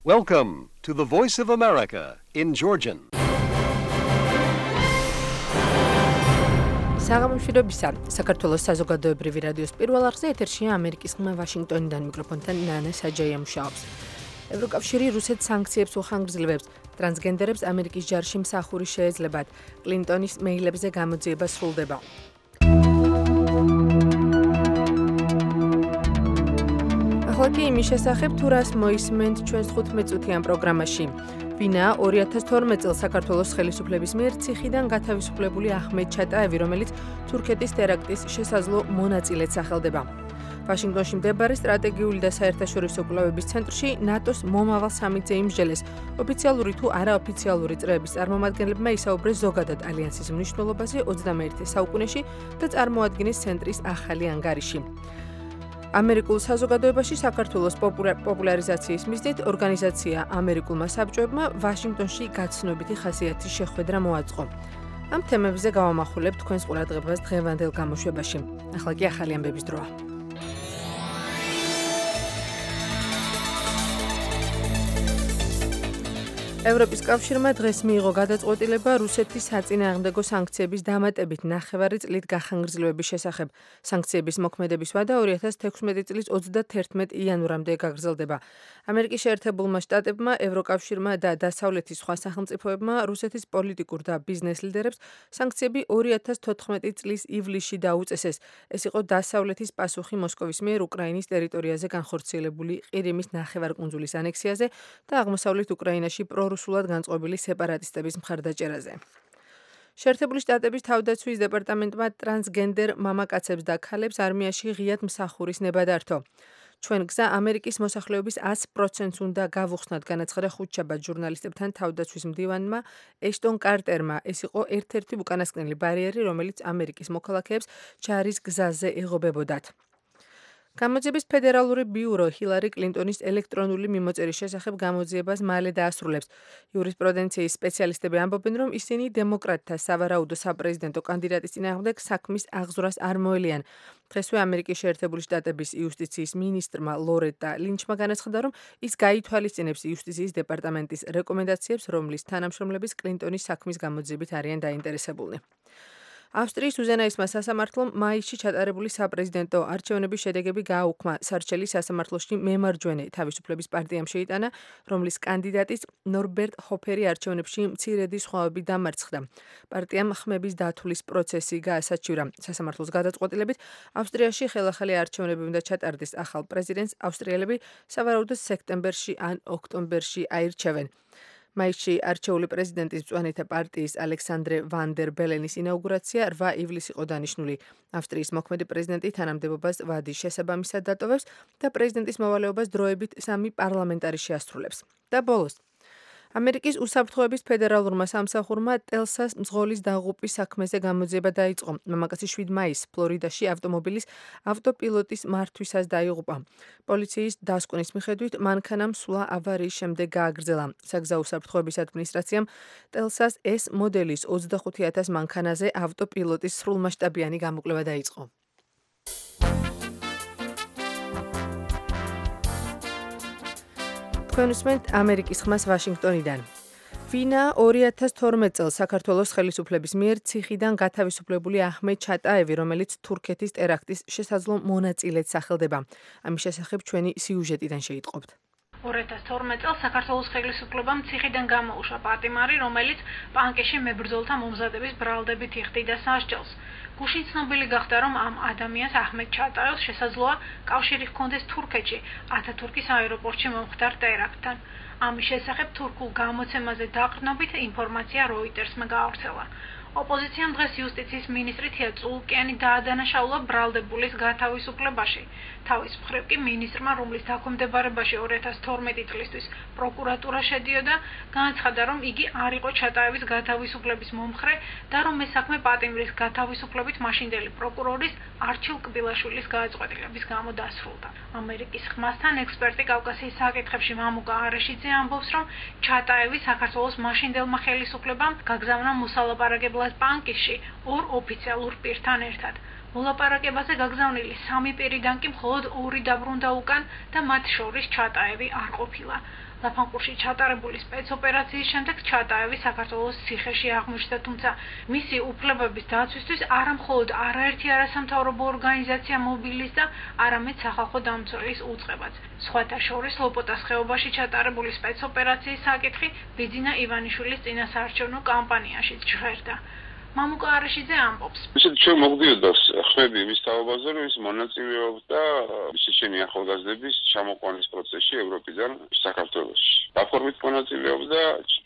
Welcome to the Voice of America in Georgian. საღამოშვიდობისა, საქართველოს საზოგადოებრივი რადიოს პირველ არხზე ეთერშია ამერიკის ხმა ვაშინგტონიდან მიკროფონთან ნანა საჯაია მუშაობს. ევროკავშირი რუსეთს სანქციებს უხანგრძლივებს, ტრანსგენდერებს ამერიკის ჯარში მსახური შეეძლებათ, კლინტონის მეილებზე გამოძიება სრულდება. ახლა იმის შესახებ თუ რას მოისმენთ ჩვენს 15 წუთიან პროგრამაში. ვინაა 2012 წელს საქართველოს ხელისუფლების მიერ ციხიდან გათავისუფლებული აჰმედ ჩატაევი, რომელიც თურქეთის ტერაქტის შესაძლო მონაწილედ სახელდება. ვაშინგტონში მდებარე სტრატეგიული და საერთაშორისო კვლევების ცენტრში ნატოს მომავალ სამიტზე იმსჯელეს ოფიციალური თუ არაოფიციალური წრეების წარმომადგენლებმა ისაუბრეს ზოგადად ალიანსის მნიშვნელობაზე 21 საუკუნეში და წარმოადგენს ცენტრის ახალი ანგარიში. ამერიკულ საზოგადოებაში საქართველოს პოპულარიზაციის მიზნით ორგანიზაცია ამერიკულმა საბჭოებმა ვაშინგტონში გაცნობიტი ხასიათის შეხვედრა მოაწყო. ამ თემებზე გავამახვილებ თქვენს ყურადღებას დღევანდელ გამოშვებაში. ახლა კი ახალი ამბების დროა. ევროპის კავშირმა დღეს მიიღო გადაწყვეტილება რუსეთის საწინააღმდეგო სანქციების დამატებით 9 წლით გახანგრძლივების შესახებ. სანქციების მოქმედების ვადა 2016 წლის 31 იანვრამდე გაგრძელდება. ამერიკის შეერთებულმა შტატებმა, ევროკავშირმა და დასავლეთის სხვა სახელმწიფოებმა რუსეთის პოლიტიკურ და ბიზნეს ლიდერებს სანქციები 2014 წლის ივლისში დაუწესეს. ეს იყო დასავლეთის პასუხი მოსკოვის მიერ უკრაინის ტერიტორიაზე განხორციელებული ყირიმის ნახევარკუნძულის ანექსიაზე და აღმოსავლეთ უკრაინაში რუსულად განწყობილი სეპარატისტების მხარდაჭერაზე. შეერთებული შტატების თავდაცვის დეპარტამენტმა ტრანსგენდერ მამაკაცებს და ქალებს არმიაში ღიად მსახურის ნება დართო. ჩვენ გზა ამერიკის მოსახლეობის 100%-ს უნდა გავუხსნათ, განაცხადა ხუთშაბათ ჟურნალისტებთან თავდაცვის მდივანმა ეშტონ კარტერმა. ეს იყო ერთ-ერთი უკანასკნელი ბარიერი, რომელიც ამერიკის მოქალაქეებს ჯარის გზაზე ეღობებოდათ. გამოძიების ფედერალური ბიურო ჰილარი კლინტონის ელექტრონული მიმოწერის შესახებ გამოძიებას მალე დაასრულებს. იურისპრუდენციის სპეციალისტები ამბობენ, რომ ისინი დემოკრატთა სავარაუდო საპრეზიდენტო კანდიდატის წინააღმდეგ საქმის აღზრას არ მოელიან. დღესვე ამერიკის შეერთებული შტატების იუსტიციის მინისტრმა ლორეტა ლინჩმა განაცხადა, რომ ის გაითვალისწინებს იუსტიციის დეპარტამენტის რეკომენდაციებს, რომლის თანამშრომლების კლინტონის საქმის გამოძიებით არიან დაინტერესებულნი. ავსტრიის უზენაესმა სასამართლომ მაისში ჩატარებული საპრეზიდენტო არჩევნების შედეგები გააუქმა. სარჩელი სასამართლოში მემარჯვენე თავისუფლების პარტიამ შეიტანა, რომლის კანდიდატის ნორბერტ ჰოფერი არჩევნებში მცირედი სხვაობით დამარცხდა. პარტიამ ხმების დათვლის პროცესი გაასაჩივრა. სასამართლოს გადაწყვეტილებით ავსტრიაში ხელახალი არჩევნები უნდა ჩატარდეს. ახალ პრეზიდენტს ავსტრიელები სავარაუდოდ სექტემბერში ან ოქტომბერში აირჩევენ. მაისში არჩეული პრეზიდენტის მწვანეთა პარტიის ალექსანდრე ვან დერ ბელენის ინაუგურაცია 8 ივლისს იყო დანიშნული. ავსტრიის მოქმედი პრეზიდენტი თანამდებობას ვადის შესაბამისად დატოვებს და პრეზიდენტის მოვალეობას დროებით 3 პარლამენტარი შეასრულებს. და ბოლოს ამერიკის უსაფრთხოების ფედერალურმა სამსახურმა ტელსას მძღოლის დაღუპვის საქმეზე გამოძიება დაიწყო. მამაკაცი 7 მაისს ფლორიდაში ავტომობილის ავტოპილოტის მართვისას დაიღუპა. პოლიციის დასკვნის მიხედვით მანქანამ სვლა ავარიის შემდეგ გააგრძელა. საგზაო უსაფრთხოების ადმინისტრაციამ ტელსას S მოდელის 25,000 მანქანაზე ავტოპილოტის სრულმასშტაბიანი გამოკვლევა დაიწყო. თქვენ უსმენთ ამერიკის ხმას ვაშინგტონიდან. ვინა 2012 წელს საქართველოს ხელისუფლების მიერ ციხიდან გათავისუფლებული აჰმედ ჩატაევი, რომელიც თურქეთის ტერაქტის შესაძლო მონაწილედ სახელდება. ამის შესახებ ჩვენი სიუჟეტიდან შეიტყობთ. 2012 წელს საქართველოს ხელისუფლებამ ციხიდან გამოუშვა პატიმარი, რომელიც პანკეში მებრძოლთა მომზადების ბრალდებით იხდიდა სასჯელს. გუშინ ცნობილი გახდა, რომ ამ ადამიანს აჰმედ ჩატაევს შესაძლოა კავშირი ჰქონდეს თურქეთში, ათათურქის აეროპორტში მომხდარ ტერაქტთან. ამის შესახებ თურქულ გამოცემაზე დაყრდნობით ინფორმაცია როიტერსმა გაავრცელა. ოპოზიციამ დღეს იუსტიციის მინისტრი თია წულკიანი დაადანაშაულა ბრალდებულის გათავისუფლებაში. თავის მხრივ კი მინისტრმა, რომლის დაქვემდებარებაში 2012 წლისთვის პროკურატურა შედიოდა, განაცხადა, რომ იგი არ იყო ჩატაევის გათავისუფლების მომხრე და რომ ეს საქმე პატიმრის გათავისუფლებით მაშინდელი პროკურორის არჩილ კბილაშვილის გადაწყვეტილების გამო დასრულდა. ამერიკის ხმასთან ექსპერტი კავკასიის საკითხებში მამუკა არეშიძე ამბობს, რომ ჩატაევი საქართველოს მაშინდელმა ხელისუფლებამ გაგზავნა მოსალაპარაკებლად პანკისში 2 ოფიციალურ პირთან ერთად. მოლაპარაკებაზე გაგზავნილი 3 პირიდან კი მხოლოდ 2 დაბრუნდა უკან და მათ შორის ჩატაევი არ ყოფილა. ლაფანყურში ჩატარებული სპეცოპერაციის შემდეგ ჩატაევი საქართველოს ციხეში აღმოჩნდა, თუმცა მისი უფლებების დაცვისთვის არა მხოლოდ არაერთი არასამთავრობო ორგანიზაცია მობილიზდა, არამედ სახალხო დამცველის უწყებაც. სხვათა შორის ლოპოტას ხეობაში ჩატარებული სპეცოპერაციის საკითხი ბიძინა ივანიშვილის წინასაარჩევნო კამპანიაშიც ჟღერდა. მამუკა არაშიძე ამბობს. ისეთ ჩვენ მოგდიოდა ხმები მის თაობაზე, რომ ის მონაწილეობდა შიშენი ახალგაზრდების ჩამოყვანის პროცესში ევროპიდან საქართველოში. დაფორმით მონაწილეობდა,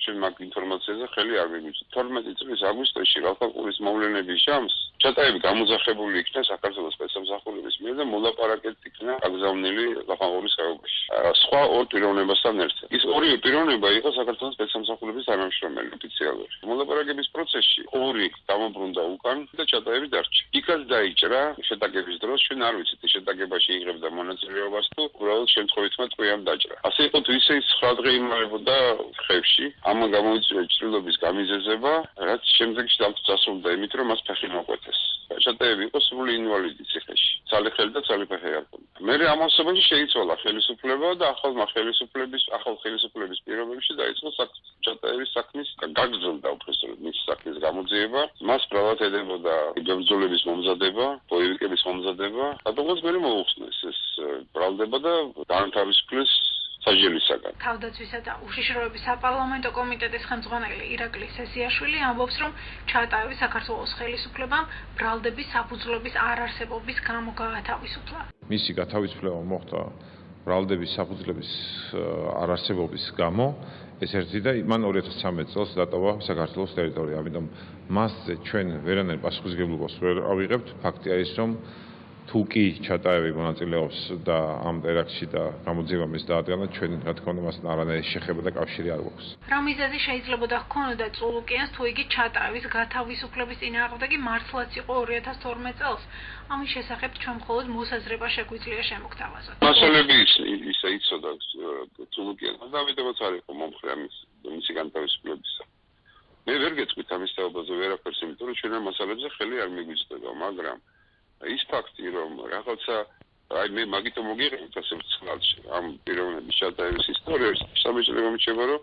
ჩვენ მაგ ინფორმაციაზე ხელი არ მიგვიწევს. 12 წლის აგვისტოში ლაფანყურის მოვლენების ჟამს ჩატაევი გამოძახებული იქნა საქართველოს სპეცსამსახურების მიერ და მოლაპარაკეთ იქნა აგზავნილი ლაფანყურის ხეობაში. სხვა ორ პიროვნებასთან ერთად. ის ორივე პიროვნება იყო საქართველოს სპეცსამსახურების თანამშრომელი ოფიციალური. მოლაპარაკების პროცესში ორი დამობრუნდა უკან და ჩატაევი დარჩა. იქაც დაიჭრა შეტაკების დროს, ჩვენ არ ვიცით შეტაკებაში იღებდა მონაწილეობას თუ უბრალოდ შემთხვევითმა ტყვიამ დაჭრა. ასე იყო თუ ისე 9 დღე იმალებოდა ხევში. ამან გამოიწვია ჭრილობის გამიზეზება, რაც შემდეგში დასრულდა იმით, რომ მას ფეხი მოკვეთეს. ჩატაევი იყო სრული ინვალიდი ციხეში. ცალი ხელი და ცალი ფეხი არ ჰქონდა. მერე ამ ასობაში შეიცვალა ხელისუფლება და ახალ ხელისუფლების პირობებში დაიწყო ჩატაევის საქმის გაგრძელდა უბრალოდ მის საქმის გამოძიება. მას ბრალად ედებოდა ბრძოლების მომზადება, ბოევიკების მომზადება. რადგანაც მერე მოუხსნეს ეს ბრალდება და დაანთავისუფლეს საჯელისაგან. თავდაცვისა და უშიშროების საპარლამენტო კომიტეტის ხელმძღვანელი ირაკლი სესიაშვილი ამბობს, რომ ჩატაევი საქართველოს ხელისუფლებამ ბრალდების საფუძვლების არარსებობის გამო გაათავისუფლა. მისი გათავისუფლება მოხდა ბრალდების საფუძვლების არარსებობის გამო. ეს ერთი და მან 2013 წელს დატოვა საქართველოს ტერიტორია. ამიტომ მასზე ჩვენ ვერანაირ პასუხისმგებლობას ვერ ავიღებთ. ფაქტია ის, რომ თუ კი ჩატაევი მონაწილეობს და ამ ტერაქტში და გამოძიება მის დაადგანა, ჩვენ რა თქმა უნდა მასთან არანაირი შეხება და კავშირი არ გვაქვს. რა მიზეზი შეიძლებოდა ჰქონოდა წულუკიანს, თუ იგი ჩატაევის გათავისუფლების წინააღმდეგი მართლაც იყო 2012 წელს? ამის შესახებ ჩვენ მხოლოდ მოსაზრება შეგვიძლია შემოგთავაზოთ. მასალები ისე იცოდა წულუკიანს და ამიტომაც არ იყო მომხრე მისი განთავისუფლებისა. მე ვერ გეტყვით ამის თაობაზე ვერაფერს, იმიტომ რომ ჩვენ ამ მასალებზე ხელი არ მიგვიწევდა, მაგრამ ის ფაქტი, რომ რაღაცა მე მაგითო მოგიღებთ ასე ვცხრალში ამ პიროვნების ჩატაევის ისტორიას, სამეჭრელო მიჩება, რომ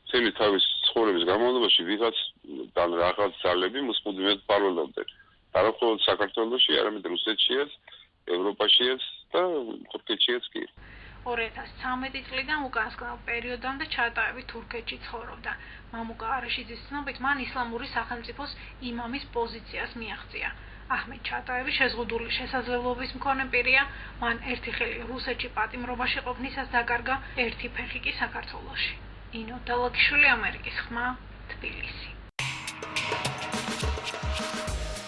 მთელი თავის ცხოვრების განმავლობაში ვიღაცთან რაღაც ძალები მოსმოდმედ პაროლობდნენ. არა მხოლოდ საქართველოში, არამედ რუსეთშიაც, ევროპაშიაც და თურქეთშიაც კი. 2013 წლიდან უკანასკნელ პერიოდამდე ჩატაევი თურქეთში ცხოვრობდა. მამუკა არაშიძის ცნობით, მან ისლამური სახელმწიფოს იმამის პოზიციას მიაღწია. აჰმედ ჩატაევი შეზღუდული შესაძლებლობის მქონე პირია, მან ერთი ხელი რუსეთში პატიმრობაში ყოფნისას დაკარგა, ერთი ფეხი კი საქართველოში. ინო დალაგიშვილი, ამერიკის ხმა, თბილისი.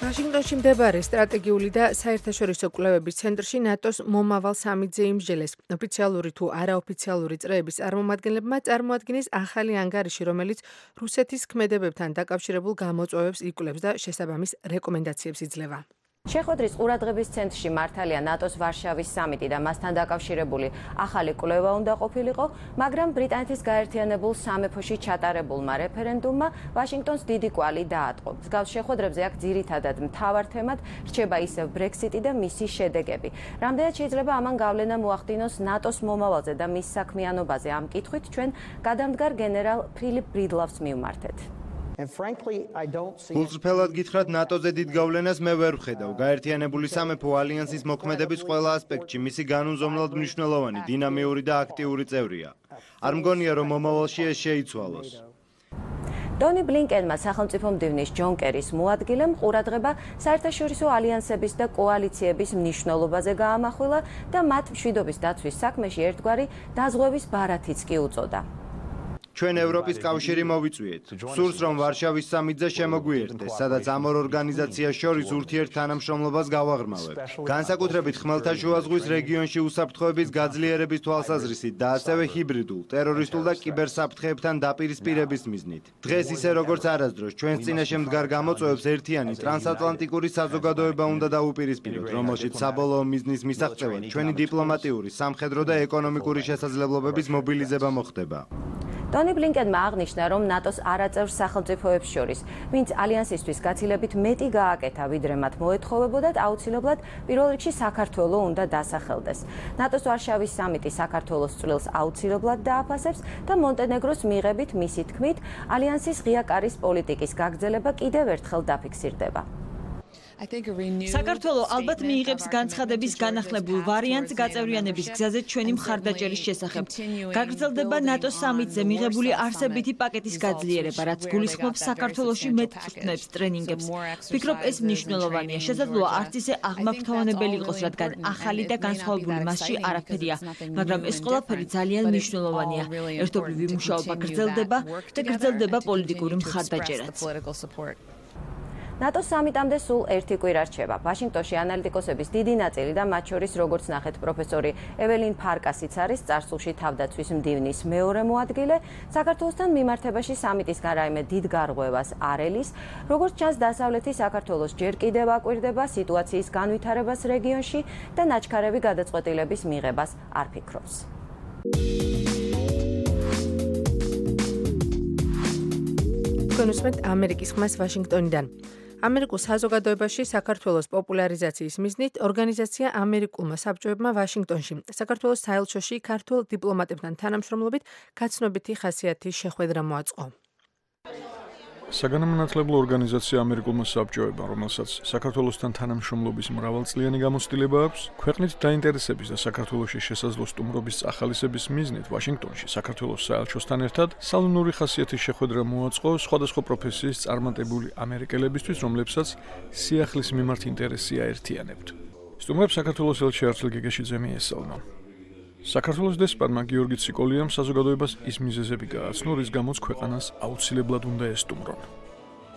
ვაშინგტონში მდებარე სტრატეგიული და საერთაშორისო კვლევების ცენტრში ნატოს მომავალ სამიტზე იმსჯელეს. ოფიციალური თუ არაოფიციალური წრეების წარმომადგენლებმა წარმოადგინეს ახალი ანგარიში, რომელიც რუსეთის ქმედებებთან დაკავშირებულ გამოწვევებს იკვლევს და შესაბამის რეკომენდაციებს იძლევა. შეხვედრის ყურადღების ცენტრში მართალია ნატოს ვარშავის სამიტი და მასთან დაკავშირებული ახალი კვლევა უნდა ყოფილიყო, მაგრამ ბრიტანეთის გაერთიანებულ სამეფოში ჩატარებულმა რეფერენდუმმა ვაშინგტონს დიდი კვალი დაატყო. მსგავს შეხვედრებზე აქ ძირითადად მთავარ თემად რჩება ისევ ბრექსიტი და მისი შედეგები. რამდენად შეიძლება ამან გავლენა მოახდინოს ნატოს მომავალზე და მის საქმიანობაზე, ამ კითხვით ჩვენ გადამდგარ გენერალ ფილიპ ბრიდლავს მივმართეთ. გულწრფელად გითხრათ, ნატოზე დიდ გავლენას მე ვერ ვხედავ. გაერთიანებული სამეფო ალიანსის მოქმედების ყველა ასპექტში მისი განუზომლად მნიშვნელოვანი, დინამიური და აქტიური წევრია. არ მგონია, რომ მომავალში ეს შეიცვალოს. დონი ბლინკენმა სახელმწიფო მდივნის ჯონ კერის მოადგილემ ყურადღება საერთაშორისო ალიანსების და კოალიციების მნიშვნელობაზე გაამახვილა და მათ მშვიდობის დაცვის საქმეში ერთგვარი დაზღვევის ბარათიც კი უწოდა. ჩვენ ევროპის კავშირი მოვიწვიეთ. სურს რომ ვარშავის სამიტზე შემოგვიერთდეს, სადაც ამ ორ ორგანიზაციას შორის ურთიერთთანამშრომლობას გავაღრმავებთ. განსაკუთრებით ხმელთაშუა ზღვის რეგიონში უსაფრთხოების გაძლიერების თვალსაზრისით და ასევე ჰიბრიდულ, ტერორისტულ და კიბერსაფრთხეებთან დაპირისპირების მიზნით. დღეს ისე როგორც არასდროს ჩვენს წინაშე მდგარ გამოწვევებს ერთიანი ტრანსატლანტიკური საზოგადოება უნდა დაუპირისპიროთ, რომელშიც საბოლოო მიზნის მისაღწევად ჩვენი დიპლომატიური, სამხედრო და ეკონომიკური შესაძლებლობების მობილიზება მოხდება. ტონი ბლინკენმა აღნიშნა, რომ ნატოს არაწევრ სახელმწიფოებს შორის, ვინც ალიანსისთვის გაცილებით მეტი გააკეთა, ვიდრე მათ მოეთხოვებოდათ, აუცილებლად პირველ რიგში საქართველო უნდა დასახელდეს. ნატოს ვარშავის სამიტი საქართველოს წვლილს აუცილებლად დააფასებს და მონტენეგროს მიღებით მისი თქმით, ალიანსის ღია კარის პოლიტიკის გაგრძელება კიდევ ერთხელ დაფიქსირდება. საქართველოს ალბათ მიიღებს განცხადების განახლებულ ვარიანტს გაწევრიანების გზაზე ჩვენი მხარდაჭერის შესახებ. გაგრძელდება ნატოს სამიტზე მიღებული არსებითი პაკეტის გაძლიერება, რაც გულისხმობს საქართველოში მეტ წვრთნებს, ტრენინგებს. ვფიქრობ, ეს მნიშვნელოვანია. შესაძლოა არც ისე აღმაფრთოვანებელი იყოს, რადგან ახალი და განსხვავებული მასში არაფერია, მაგრამ ეს ყველაფერი ძალიან მნიშვნელოვანია. ერთობლივი მუშაობა გრძელდება და გრძელდება პოლიტიკური მხარდაჭერაც. ნატოს სამიტამდე სულ ერთი კვირა რჩება. ვაშინგტონში ანალიტიკოსების დიდი ნაწილი და მათ შორის როგორც ნახეთ პროფესორი ეველინ ფარკასიც არის წარსულში თავდაცვის მდივნის მეორე მოადგილე. საქართველოსთან მიმართებაში სამიტისგან რაიმე დიდ გარღვევას არ ელის. როგორც ჩანს, დასავლეთი საქართველოს ჯერ კიდევ აკვირდება სიტუაციის განვითარებას რეგიონში და ნაჩქარევი გადაწყვეტილების მიღებას არ ფიქრობს. გონუსმეთ ამერიკის ხმას ვაშინგტონიდან. ამერიკულ საზოგადოებაში საქართველოს პოპულარიზაციის მიზნით ორგანიზაცია ამერიკულმა საბჭოებმა ვაშინგტონში საქართველოს საელჩოში ქართულ დიპლომატებთან თანამშრომლობით გაცნობითი ხასიათის შეხვედრა მოაწყო. საგანმანათლებლო ორგანიზაცია ამერიკულმა საბჭოებმა, რომელსაც საქართველოსთან თანამშრომლობის მრავალწლიანი გამოცდილება აქვს, ქვეყნით დაინტერესების და საქართველოში შესაძლო სტუმრობის წახალისების მიზნით ვაშინგტონში საქართველოს საელჩოსთან ერთად სალონური ხასიათის შეხვედრა მოაწყო სხვადასხვა პროფესიის წარმატებული ამერიკელებისთვის, რომლებსაც სიახლის მიმართ ინტერესი აერთიანებთ. სტუმრებს საქართველოს ელჩი არჩილ გეგეშიძე მიესალმა. საქართველოს დესპანმა გიორგი ციკოლიამ საზოგადოებას ის მიზეზები გააცნო, რის გამოც ქვეყანას აუცილებლად უნდა ესტუმრონ.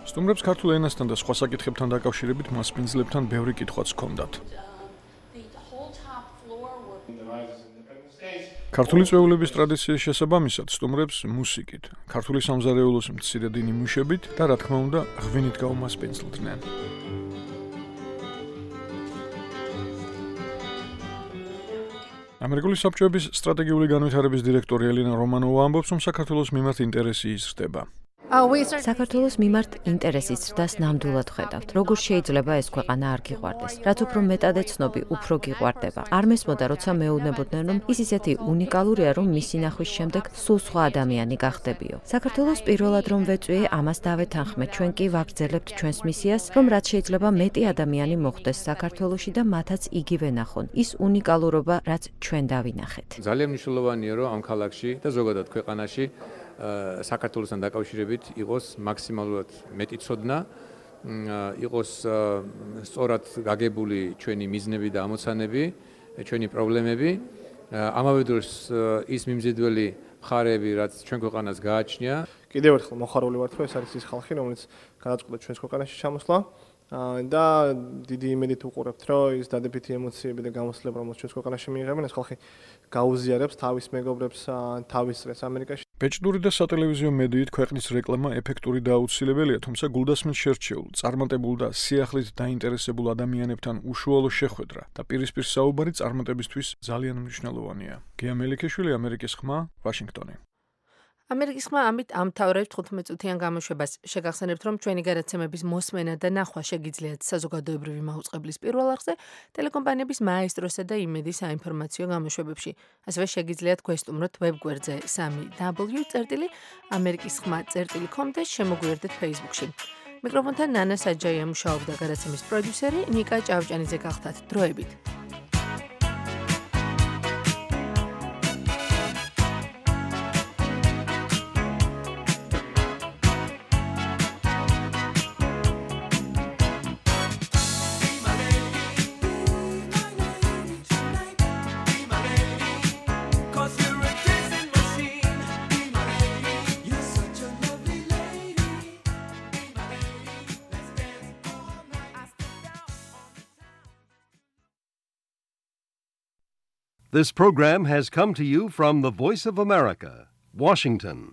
სტუმრებს ქართულ ენასთან და სხვა საკითხებთან დაკავშირებით მასპინძლებთან ბევრი კითხვაც ჰქონდათ. ქართული წვეულების ტრადიციის შესაბამისად სტუმრებს მუსიკით, ქართული სამზარეულოს მცირედი ნიმუშებით და რა თქმა უნდა, ღვინით გაუმასპინძლდნენ. ამერიკული საბჭოების სტრატეგიული განვითარების დირექტორი ელინა რომანოვა ამბობს, რომ საქართველოს მიმართ ინტერესი იზრდება. საქართველოს მიმართ ინტერესის ზრდას ნამდვილად ხედავთ. როგორ შეიძლება ეს ქვეყანა არ გიყვარდეს? რაც უფრო მეტად ეცნობი, უფრო გიყვარდება. არ მესმოდა, როცა მეუბნებოდნენ, რომ ის ისეთი უნიკალურია, რომ მისი ნახვის შემდეგ სულ სხვა ადამიანი გახდებიო. საქართველოს პირველად რომ ვეწვიე, ამას დავეთანხმეთ. ჩვენ კი ვაგრძელებთ ჩვენს მისიას, რომ რაც შეიძლება მეტი ადამიანი მოხვდეს საქართველოში და მათაც იგივე ნახონ. ის უნიკალურობა, რაც ჩვენ დავინახეთ. ძალიან მნიშვნელოვანია, რომ ამ ქალაქში და ზოგადად ქვეყანაში საქართველოსთან დაკავშირებით იყოს მაქსიმალურად მეტი ცოდნა, იყოს სწორად გაგებული ჩვენი მიზნები და ამოცანები, ჩვენი პრობლემები. ამავე დროს ის მიმზიდველი მხარეები, რაც ჩვენ ქვეყანას გააჩნია. კიდევ ერთხელ მოხარული ვართ, რომ ეს არის ის ხალხი, რომელიც გადაწყვიტა ჩვენს ქვეყანაში ჩამოსვლა და დიდი იმედით უყურებთ, რომ ის დადებითი ემოციები და გამოცდილება, რომელიც ჩვენს ქვეყანაში მიიღებენ, ეს ხალხი გაუზიარებს თავის მეგობრებს, თავის წრეს ამერიკაში. ბეჭდური და სატელევიზიო მედიით ქვეყნის რეკლამა ეფექტური და აუცილებელია, თუმცა გულდასმით შერჩეულ, წარმატებულ და სიახლით დაინტერესებულ ადამიანებთან უშუალო შეხვედრა და პირისპირ საუბარი წარმატებისთვის ძალიან მნიშვნელოვანია. გია მელიქიშვილი, ამერიკის ხმა, ვაშინგტონი. ამერიკის ხმა ამით ამთავრებს 15 წუთიან გამოშვებას. შეგახსენებთ, რომ ჩვენი გადაცემების მოსმენა და ნახვა შეგიძლიათ საზოგადოებრივი მაუწყებლის პირველ არხზე, ტელეკომპანიების მაესტროსა და იმედის საინფორმაციო გამოშვებებში. ასევე შეგიძლიათ გვესტუმროთ ვებგვერდზე 3w.amerikiskhma.com და შემოგვიერთდეთ Facebook-ში. მიკროფონთან ნანა საჯაია მუშაობდა, გადაცემის პროდიუსერი ნიკა ჭავჭანიძე გახდათ. დროებით. This program has come to you from the Voice of America, Washington.